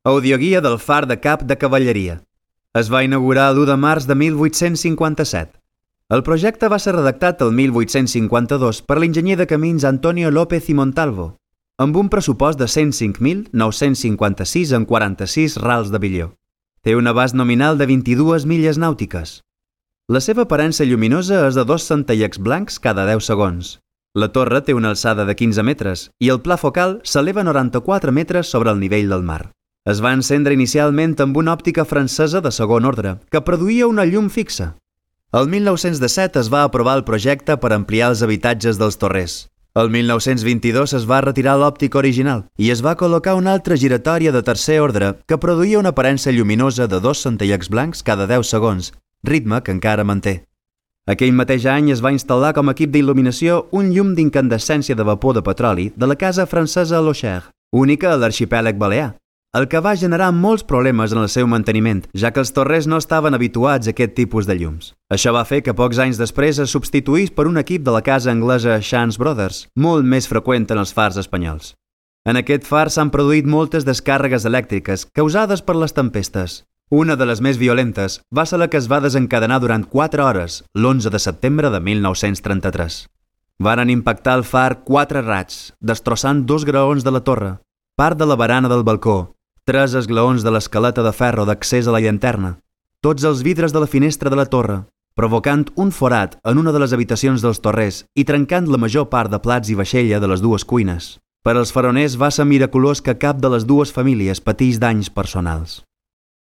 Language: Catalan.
Audioguia del far de cap de cavalleria. Es va inaugurar l'1 de març de 1857. El projecte va ser redactat el 1852 per l'enginyer de camins Antonio López y Montalvo, amb un pressupost de 105.956 en 46 rals de billó. Té un abast nominal de 22 milles nàutiques. La seva aparença lluminosa és de 2 centellets blancs cada 10 segons. La torre té una alçada de 15 metres i el pla focal s'eleva 94 metres sobre el nivell del mar. Es va encendre inicialment amb una òptica francesa de segon ordre, que produïa una llum fixa. El 1917 es va aprovar el projecte per ampliar els habitatges dels torrers. El 1922 es va retirar l'òptica original i es va col·locar una altra giratòria de tercer ordre que produïa una aparença lluminosa de 2 centellets blancs cada 10 segons, ritme que encara manté. Aquell mateix any es va instal·lar com a equip d'il·luminació un llum d'incandescència de vapor de petroli de la casa francesa Locher, única a l'arxipèlag balear, el que va generar molts problemes en el seu manteniment, ja que els torrers no estaven habituats a aquest tipus de llums. Això va fer que pocs anys després es substituís per un equip de la casa anglesa Chance Brothers, molt més freqüent en els fars espanyols. En aquest far s'han produït moltes descàrregues elèctriques causades per les tempestes. Una de les més violentes va ser la que es va desencadenar durant 4 hores, l'11 de setembre de 1933. Varen impactar el far 4 raigs, destrossant 2 graons de la torre, part de la barana del balcó, 3 esglaons de l'escaleta de ferro d'accés a la llanterna, tots els vidres de la finestra de la torre, provocant un forat en una de les habitacions dels torrers i trencant la major part de plats i vaixella de les dues cuines. Per als faroners va ser miraculós que cap de les dues famílies patís danys personals.